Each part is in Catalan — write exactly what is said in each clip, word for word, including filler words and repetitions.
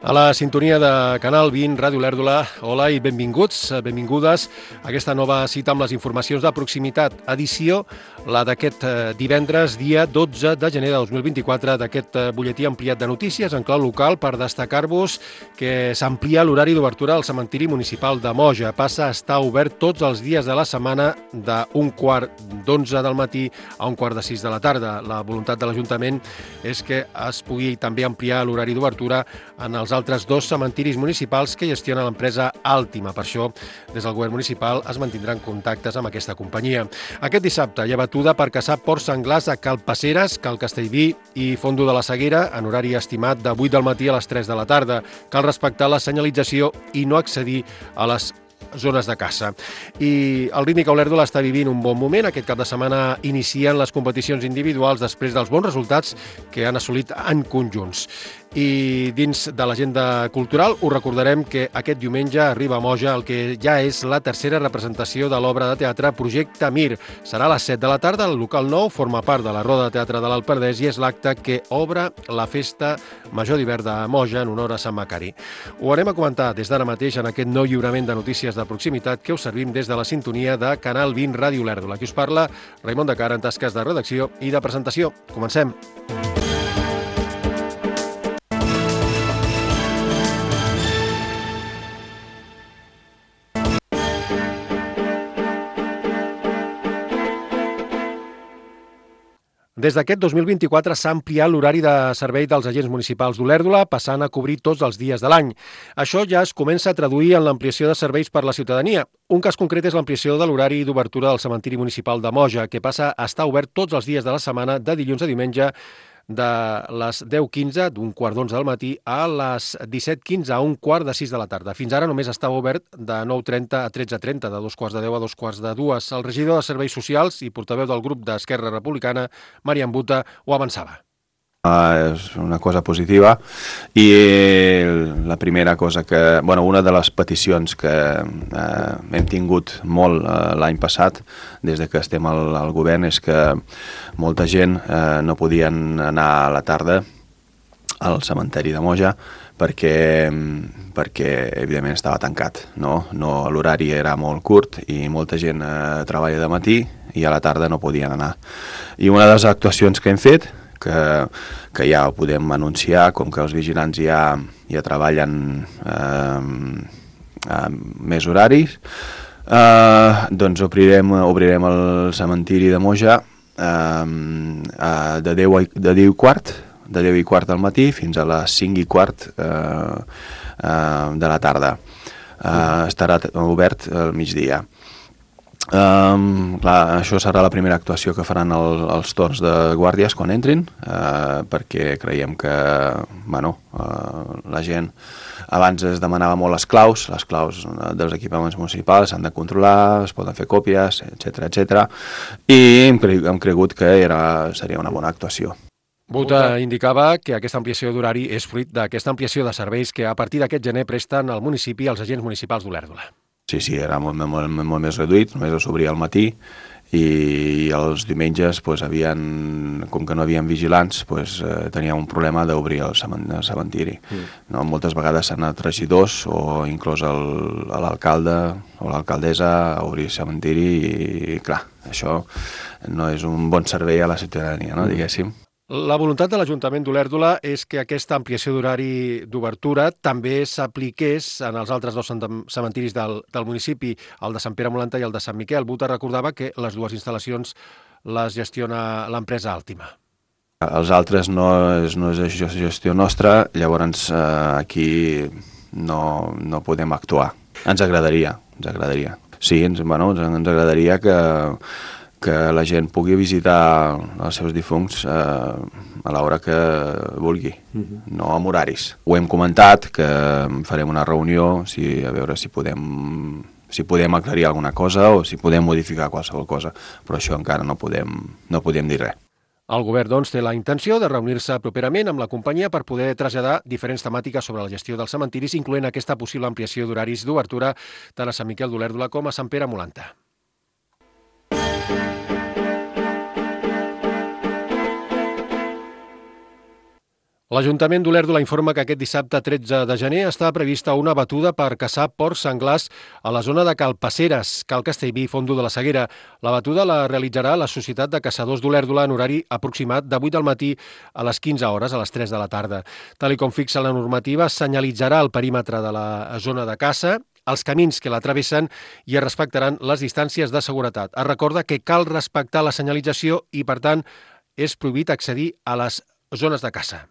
A la sintonia de Canal vint, Ràdio Olèrdola, hola i benvinguts, benvingudes a aquesta nova cita amb les informacions de proximitat. Edició, la d'aquest divendres, dia dotze de gener de dos mil vint-i-quatre, d'aquest butlletí ampliat de notícies en clau local per destacar-vos que s'amplia l'horari d'obertura al cementiri municipal de Moja. Passa a estar obert tots els dies de la setmana d'un quart d'onze del matí a un quart de sis de la tarda. La voluntat de l'Ajuntament és que es pugui també ampliar l'horari d'obertura en els altres dos cementiris municipals que gestiona l'empresa Àltima. Per això, des del govern municipal es mantindran contactes amb aquesta companyia. Aquest dissabte hi ha batuda per caçar porcs senglars a Calpaceres, Cal Castellví i Fondo de la Seguera, en horari estimat de vuit del matí a les tres de la tarda. Cal respectar la senyalització i no accedir a les zones de caça. I el Rítmica Olèrdola està vivint un bon moment. Aquest cap de setmana inicien les competicions individuals després dels bons resultats que han assolit en conjunts. I dins de l'agenda cultural us recordarem que aquest diumenge arriba a Moja el que ja és la tercera representació de l'obra de teatre Projecte Mir. Serà a les set de la tarda, el local nou forma part de la Roda de Teatre de l'Alperdès i és l'acte que obre la Festa Major d'Hivern de Moja en honor a Sant Macari. Ho anem a comentar des d'ara mateix en aquest nou lliurament de notícies de proximitat que us servim des de la sintonia de Canal vint Ràdio Olèrdola. Aquí us parla Raimon de Cara en tasques de redacció i de presentació. Comencem. Des d'aquest dos mil vint-i-quatre s'ha ampliat l'horari de servei dels agents municipals d'Olèrdola, passant a cobrir tots els dies de l'any. Això ja es comença a traduir en l'ampliació de serveis per la ciutadania. Un cas concret és l'ampliació de l'horari d'obertura del cementiri municipal de Moja, que passa a estar obert tots els dies de la setmana, de dilluns a diumenge, de les deu quinze, d'un quart d'onze del matí, a les disset quinze, a un quart de sis de la tarda. Fins ara només estava obert de nou trenta a tretze trenta, de dos quarts de deu a dos quarts de dues. El regidor de Serveis Socials i portaveu del grup d'Esquerra Republicana, Marian Buta, ho avançava. Uh, és una cosa positiva i la primera cosa que, bueno, una de les peticions que uh, hem tingut molt uh, l'any passat des de que estem al, al govern és que molta gent uh, no podien anar a la tarda al cementeri de Moja perquè, perquè evidentment estava tancat, no? No, l'horari era molt curt i molta gent uh, treballa de matí i a la tarda no podien anar. I una de les actuacions que hem fet Que, que ja ho podem anunciar, com que els vigilants ja, ja treballen eh, més horaris, eh, doncs obrirem, obrirem el cementiri de Moja eh, de deu i quart, de deu i quart del matí fins a les cinc i quart eh, eh, de la tarda. Eh, estarà obert al migdia. Um, clar, això serà la primera actuació que faran el, els torns de guàrdies quan entrin, uh, perquè creiem que bueno, uh, la gent abans es demanava molt les claus, les claus dels equipaments municipals s'han de controlar, es poden fer còpies, etcètera, etcètera, i hem, cre hem cregut que era, seria una bona actuació. Buta indicava que aquesta ampliació d'horari és fruit d'aquesta ampliació de serveis que a partir d'aquest gener presten al municipi els agents municipals d'Olèrdola. Sí, sí, era molt, molt, molt més reduït, només s'obria al matí i els diumenges, pues, havien, com que no havien vigilants, pues, eh, tenia un problema d'obrir el cementiri. Mm. No? Moltes vegades s'han anat regidors o inclús l'alcalde o l'alcaldessa a obrir el cementiri i, clar, això no és un bon servei a la ciutadania, no? Mm. Diguéssim. La voluntat de l'Ajuntament d'Olèrdola és que aquesta ampliació d'horari d'obertura també s'apliqués en els altres dos cementiris del, del municipi, el de Sant Pere Molanta i el de Sant Miquel. Buta recordava que les dues instal·lacions les gestiona l'empresa Àltima. Els altres no és, no és gestió nostra, llavors eh, aquí no, no podem actuar. Ens agradaria, ens agradaria. Sí, ens, bueno, ens agradaria que que la gent pugui visitar els seus difunts eh, a l'hora que vulgui, uh-huh. No amb horaris. Ho hem comentat, que farem una reunió si, a veure si podem, si podem aclarir alguna cosa o si podem modificar qualsevol cosa, però això encara no podem, no podem dir res. El govern, doncs, té la intenció de reunir-se properament amb la companyia per poder traslladar diferents temàtiques sobre la gestió dels cementiris, incloent aquesta possible ampliació d'horaris d'obertura tant a Sant Miquel d'Olèrdola com a Sant Pere Molanta. L'Ajuntament d'Olèrdola informa que aquest dissabte tretze de gener està prevista una batuda per caçar porcs senglars a la zona de Calpaceres, Cal Castellví, Fondo de la Seguera. La batuda la realitzarà la Societat de Caçadors d'Olèrdola en horari aproximat de vuit del matí a les quinze hores, a les tres de la tarda. Tal i com fixa la normativa, senyalitzarà el perímetre de la zona de caça, els camins que la travessen i es respectaran les distàncies de seguretat. Es recorda que cal respectar la senyalització i, per tant, és prohibit accedir a les zones de caça.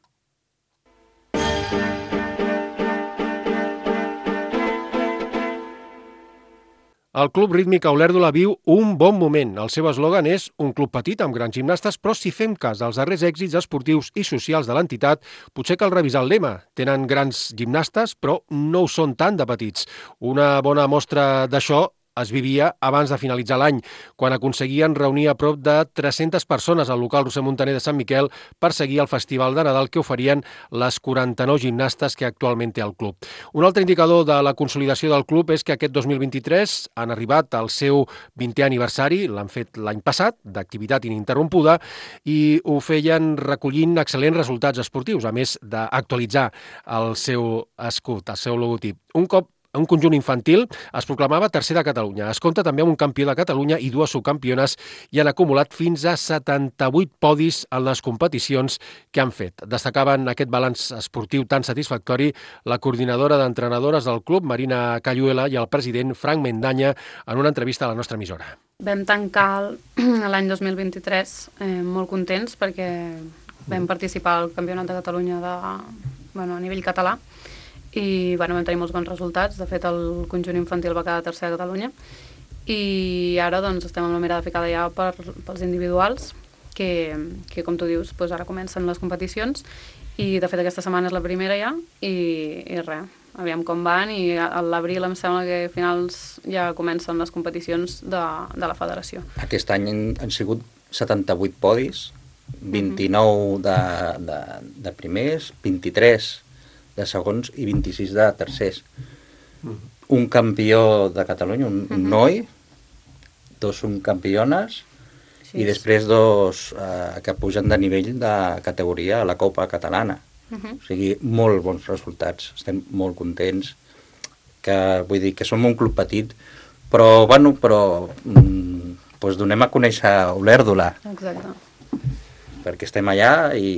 El Club Rítmic Olèrdola viu un bon moment. El seu eslògan és un club petit amb grans gimnastes, però si fem cas dels darrers èxits esportius i socials de l'entitat, potser cal revisar el lema. Tenen grans gimnastes, però no ho són tant de petits. Una bona mostra d'això es vivia abans de finalitzar l'any, quan aconseguien reunir a prop de tres-centes persones al local Roser Montaner de Sant Miquel per seguir el festival de Nadal que oferien les quaranta-nou gimnastes que actualment té el club. Un altre indicador de la consolidació del club és que aquest dos mil vint-i-tres han arribat al seu vintè aniversari, l'han fet l'any passat, d'activitat ininterrompuda, i ho feien recollint excel·lents resultats esportius, a més d'actualitzar el seu escut, el seu logotip. Un cop un conjunt infantil es proclamava tercer de Catalunya. Es compta també amb un campió de Catalunya i dues subcampiones i han acumulat fins a setanta-vuit podis en les competicions que han fet. Destacaven aquest balanç esportiu tan satisfactori la coordinadora d'entrenadores del club, Marina Cayuela, i el president, Frank Mendanya, en una entrevista a la nostra emissora. Vam tancar l'any dos mil vint-i-tres eh, molt contents perquè vam participar al Campionat de Catalunya de, bueno, a nivell català i bueno, vam tenir molts bons resultats. De fet, el conjunt infantil va quedar tercer a Catalunya i ara doncs, estem amb la mirada ficada ja per, pels individuals que, que com tu dius, doncs ara comencen les competicions i de fet aquesta setmana és la primera ja i, i res, aviam com van i a l'abril em sembla que a finals ja comencen les competicions de, de la federació. Aquest any han, han sigut setanta-vuit podis, vint-i-nou de, de, de primers, vint-i-tres de segons i vint-i-sis de tercers. Mm. Un campió de Catalunya, un, un noi, dos són campiones sí, i després dos eh, que pugen de nivell de categoria a la Copa Catalana. Uh-huh. O sigui, molt bons resultats. Estem molt contents. Que, vull dir que som un club petit, però, bueno, però mm, doncs donem a conèixer Olèrdola. Exacte. Perquè estem allà i...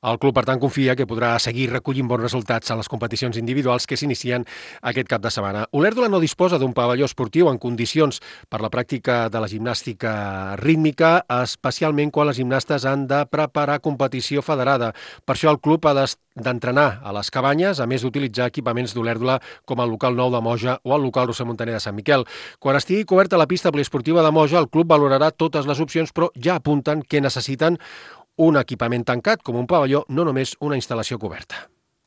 El club, per tant, confia que podrà seguir recollint bons resultats en les competicions individuals que s'inicien aquest cap de setmana. Olèrdola no disposa d'un pavelló esportiu en condicions per la pràctica de la gimnàstica rítmica, especialment quan les gimnastes han de preparar competició federada. Per això el club ha d'entrenar a les cabanyes, a més d'utilitzar equipaments d'Olèrdola com el local nou de Moja o el local Roser Montaner de Sant Miquel. Quan estigui coberta la pista poliesportiva de Moja, el club valorarà totes les opcions, però ja apunten que necessiten un equipament tancat, com un pavelló, no només una instal·lació coberta.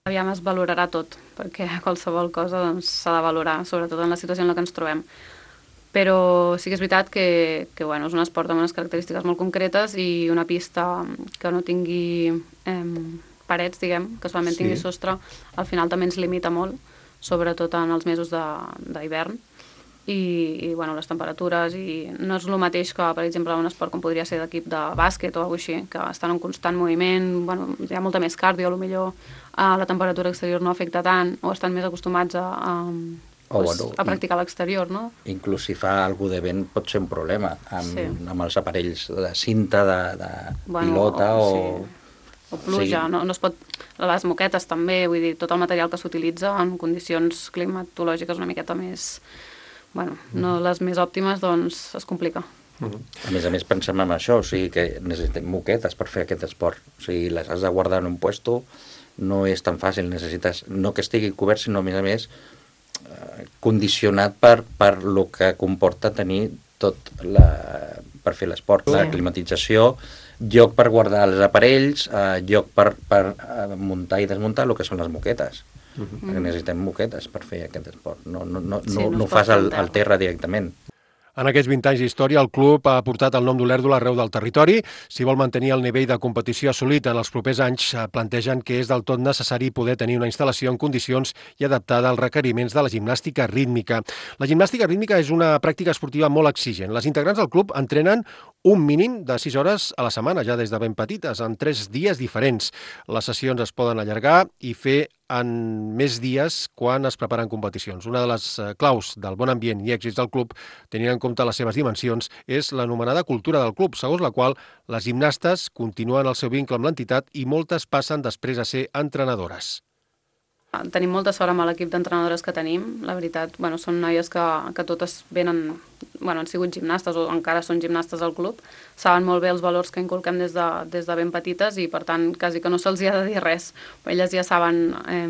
Aviam es valorarà tot, perquè qualsevol cosa doncs, s'ha de valorar, sobretot en la situació en la que ens trobem. Però sí que és veritat que, que bueno, és un esport amb unes característiques molt concretes i una pista que no tingui eh, parets, diguem, que solament sí. tingui sostre, al final també ens limita molt, sobretot en els mesos d'hivern. I, i bueno, les temperatures i no és el mateix que, per exemple, un esport com podria ser d'equip de bàsquet o alguna cosa així, que estan en constant moviment, bueno, hi ha molta més cardio, potser a la temperatura exterior no afecta tant o estan més acostumats a, a, oh, pues, bueno, a practicar a l'exterior, no? Inclús si fa alguna de vent pot ser un problema amb, sí. amb els aparells de cinta, de, de bueno, pilota o... Sí. O pluja, sí. no, no es pot... Les moquetes també, vull dir, tot el material que s'utilitza en condicions climatològiques una miqueta més... Bueno, no les més òptimes, doncs es complica. A més a més pensem en això, o sigui que necessitem moquetes per fer aquest esport. O sigui, les has de guardar en un puesto, no és tan fàcil, necessites no que estigui cobert, sinó a més a més eh, condicionat per, per lo que comporta tenir tot la, per fer l'esport, la climatització, lloc per guardar els aparells, eh, lloc per, per muntar i desmuntar el que són les moquetes. Uh-huh. Perquè necessitem moquetes per fer aquest esport, no, no, no, sí, no, no, no fas al, al terra directament. En aquests vint anys d'història, el club ha portat el nom d'Olèrdola arreu del territori. Si vol mantenir el nivell de competició assolit en els propers anys, plantegen que és del tot necessari poder tenir una instal·lació en condicions i adaptada als requeriments de la gimnàstica rítmica. La gimnàstica rítmica és una pràctica esportiva molt exigent. Les integrants del club entrenen un mínim de sis hores a la setmana, ja des de ben petites, en tres dies diferents. Les sessions es poden allargar i fer en més dies quan es preparen competicions. Una de les claus del bon ambient i èxits del club, tenint en compte les seves dimensions, és l'anomenada cultura del club, segons la qual les gimnastes continuen el seu vincle amb l'entitat i moltes passen després a ser entrenadores. Tenim molta sort amb l'equip d'entrenadores que tenim. La veritat, bueno, són noies que, que totes venen, bueno, han sigut gimnastes o encara són gimnastes al club, saben molt bé els valors que inculquem des de, des de ben petites i, per tant, quasi que no se'ls ha de dir res. Elles ja saben, eh,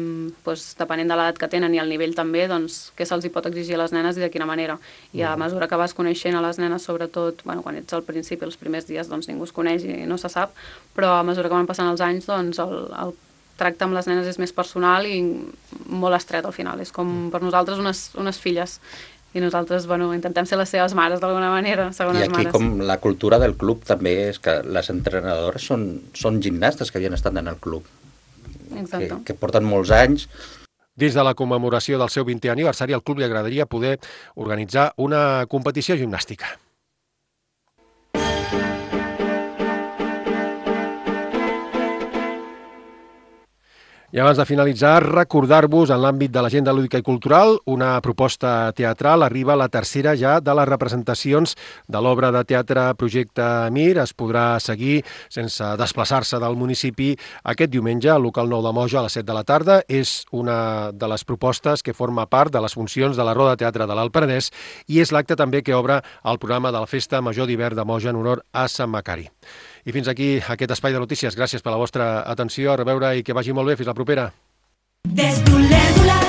doncs, depenent de l'edat que tenen i el nivell també, doncs, què se'ls hi pot exigir a les nenes i de quina manera. I a mesura que vas coneixent a les nenes, sobretot, bueno, quan ets al principi, els primers dies, doncs ningú es coneix i no se sap, però a mesura que van passant els anys, doncs, el, el tracte amb les nenes és més personal i molt estret al final. És com per nosaltres unes, unes filles i nosaltres, bueno, intentem ser les seves mares d'alguna manera, segones mares. I aquí mares. Com la cultura del club també és que les entrenadores són, són gimnastes que havien estat en el club. Exacte. Que, que porten molts anys. Dins de la commemoració del seu vintè aniversari, al club li agradaria poder organitzar una competició gimnàstica. I abans de finalitzar, recordar-vos en l'àmbit de l'agenda lúdica i cultural una proposta teatral. Arriba la tercera ja de les representacions de l'obra de teatre Projecte Mir. Es podrà seguir sense desplaçar-se del municipi aquest diumenge al local nou de Moja a les set de la tarda. És una de les propostes que forma part de les funcions de la Roda de Teatre de l'Alt Penedès i és l'acte també que obre el programa de la Festa Major d'Hivern de Moja en honor a Sant Macari. I fins aquí aquest espai de notícies. Gràcies per la vostra atenció. A reveure i que vagi molt bé. Fins la propera. Des d'Olèrdola